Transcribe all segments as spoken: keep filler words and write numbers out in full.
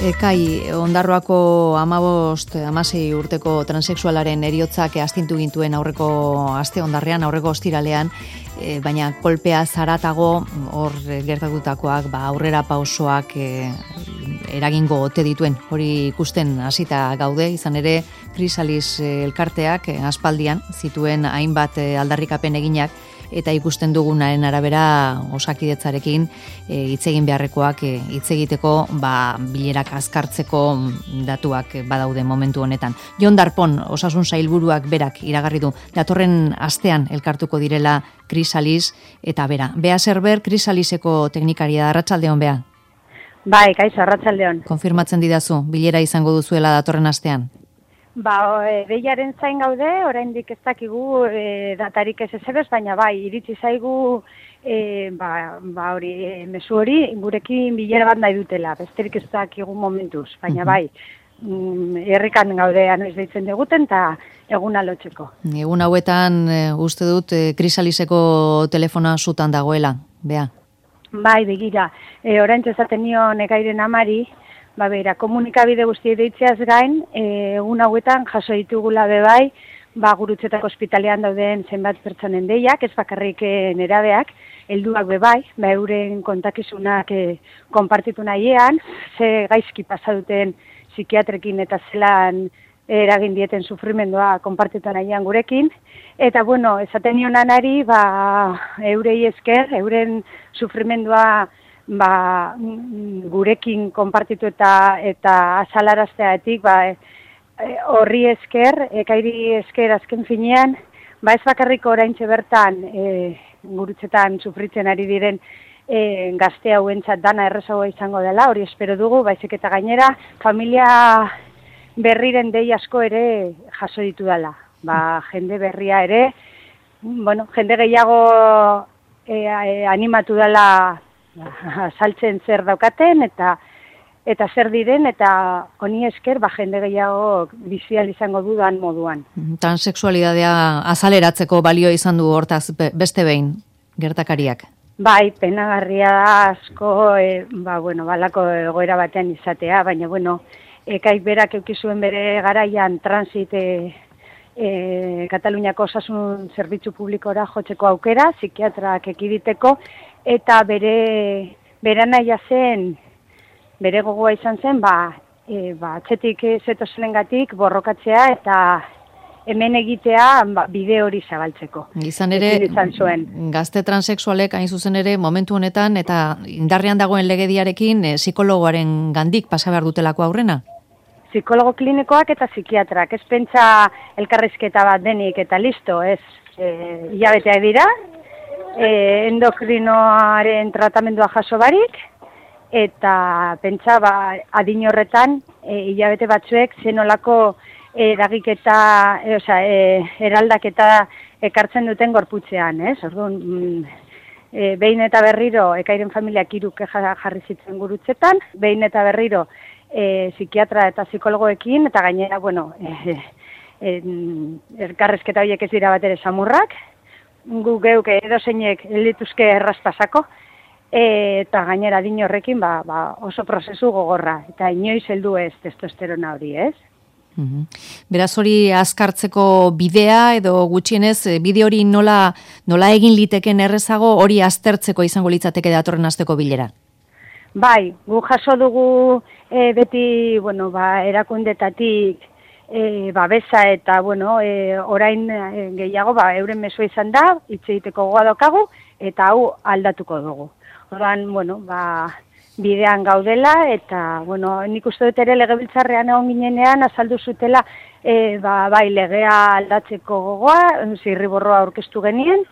Kai, Ondarroako hamabost, hamasei urteko transexualaren heriotzak astintu gintuen aurreko aste ondarrean, aurreko ostiralean, e, baina kolpea zaratago hor gertatutakoak, ba, aurrera pausoak e, eragingo ote dituen, hori ikusten hasita gaude, izan ere Krisalis elkarteak e, aspaldian zituen hainbat e, aldarrikapen eginak, eta ikusten dugunaren arabera Osakidetzarekin hitz egin beharrekoak hitz egiteko ba, bilerak azkartzeko datuak badaude momentu honetan. Jon Darpón, Osasun Sailburuak berak iragarri du datorren astean elkartuko direla Krisalis eta bera. Bea Serber, Krisaliseko teknikaria da, arratsaldeon Bea. Bai, kaixo, arratsaldeon. Konfirmatzen didazu, bilera izango duzuela datorren astean. Ba, e, behiaren zain gaude, oraindik ez dakigu e, datarik ez ezebez, baina bai, iritsi zaigu e, ba, ba hori, e, mezu hori, gurekin bilera bat nahi dutela, besterik ez dakigu momentuz, baina bai, mm, herrikan gaude anoiz deitzen diguten, eta egun alotzeko. Egun hauetan, e, uste dut, e, Krisaliseko telefona zutan dagoela, Bea? Bai, begira, e, orain esaten nion Ekairen amari, Ba, bera, komunikabide guzti deitzeaz gain, e, egun hauetan jaso ditugula bebai, ba, Gurutzetako ospitalean dauden zenbat pertsonen deiak, ez bakarrik nerabeak, helduak bebai, ba, euren kontakizunak e, konpartitu nahiean, ze gaizki pasa duten psikiatrekin eta zelan eragin dieten sufrimendua konpartitu nahiean gurekin, eta bueno, esaten nion anari, ba, eurei esker, euren sufrimendua ba, gurekin konpartitu eta eta azalarazteatik, ba, horri esker, Ekairi esker azken finean, ba ez bakarrik oraintxe bertan e, Gurutzetan sufritzen ari diren e, gazte hauentzat dana errezagoa izango dela, hori espero dugu, baizik eta gainera familia berriren dei asko ere jaso ditu dela. Ba, jende berria ere, bueno, jende gehiago e, e, animatu dela saltzen zer daukaten eta eta zer diren eta honi esker ba jende gehiago bizial izango dudan moduan. Transexualidadea azaleratzeko balio izan du hortaz beste behin gertakariak. Bai, penagarria da asko e, ba bueno, balako egoera batean izatea, baina bueno, Ekaik berak eduki zuen bere garaian transit e, e, Kataluniako osasun zerbitzu publikora jotzeko aukera, psikiatrak ekiditeko, eta bere bere nahia zen, bere gogoa izan zen, ba, e, ba atzetik zetozenengatik borrokatzea eta hemen egitea ba, bide hori zabaltzeko. Izan ere, izan zuen. Gazte transexualek hain zuzen ere momentu honetan eta indarrean dagoen legediarekin e, psikologoaren gandik pasa behar dutelako aurrena? Psikologo klinikoak eta psikiatrak, ez pentsa elkarrizketa bat denik eta listo, ez e, hilabeteak dira, E, endokrinoaren tratamendua jaso barik, eta pentsa ba, adin horretan e, hilabete batzuek zenolako eragiketa, e, osea, e, eraldaketa ekartzen duten gorputzean, ez? Orduan, mm, e, behin eta berriro Ekairen familiak hiru kexa jarri zitzen Gurutzetan, behin eta berriro e, psikiatra eta psikologoekin, eta gainera, bueno, e, e, elkarrezketa horiek ez dira bat ere samurrak, gu geuk edozeinek lituzke errazpasako, eta gainera adin horrekin ba, ba, oso prozesu gogorra, eta inoiz heldu ez testosterona hori, ez? Mm-hmm. Beraz hori azkartzeko bidea, edo gutxienez, bide hori nola, nola egin liteken errezago, hori aztertzeko izango litzateke datorren asteko bilera? Bai, gu jaso dugu e, beti, bueno, ba, erakundetatik, E, babesa eta, bueno, e, orain e, gehiago, ba, euren mesua izan da, hitz egiteko gogoa daukagu, eta hau aldatuko dugu. Orduan, bueno, ba, bidean gaudela, eta, bueno, nik uste dut ere legebiltzarrean egon ginenean, azaldu zutela, e, ba, bai, legea aldatzeko gogoa, zirriborroa aurkeztu genien,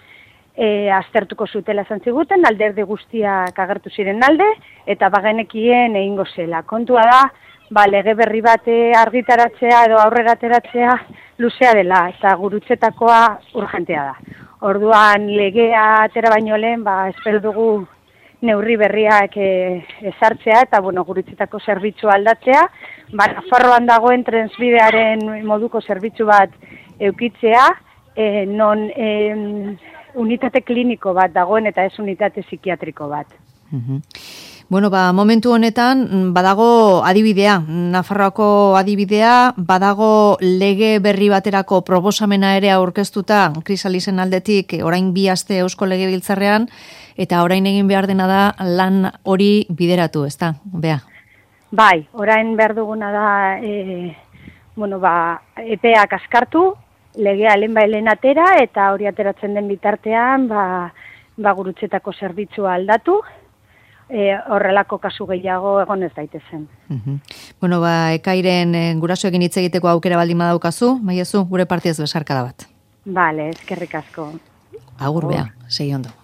e, aztertuko zutela esan ziguten, alderdi guztiak agertu ziren alde, eta bagenekien egingo zela. Kontua da, ba, lege berri bat argitaratzea edo aurrera ateratzea luzea dela, eta Gurutzetakoa urgentea da. Orduan legea atera baino lehen, ba, espero dugu neurri berriak e, ezartzea, eta bueno, Gurutzetako zerbitzu aldatzea, ba, Nafarroan dagoen transbidearen moduko zerbitzu bat eukitzea, e, non e, unitate kliniko bat dagoen eta ez unitate psikiatriko bat. Mhm. Bueno, ba, momentu honetan badago adibidea, Nafarroako adibidea, badago lege berri baterako proposamena ere aurkeztuta Krisalisen aldetik orain bi aste Eusko Legebiltzarrean, eta orain egin behar dena da lan hori bideratu, ezta? Bea. Bai, orain behar duguna da e, bueno, ba, epeak askartu, legea lehenbailen atera, eta hori ateratzen den bitartean ba, ba gurutzetako zerbitzua aldatu, E, horrelako kasu gehiago egon ez daitezen. Uh-huh. Bueno, ba, ekairen e, gurasoekin hitz egiteko aukera baldin badaukazu, Maiezu, gure partiaz besarkada bat. Bale, eskerrik asko. Agur, Bea, segi ondo.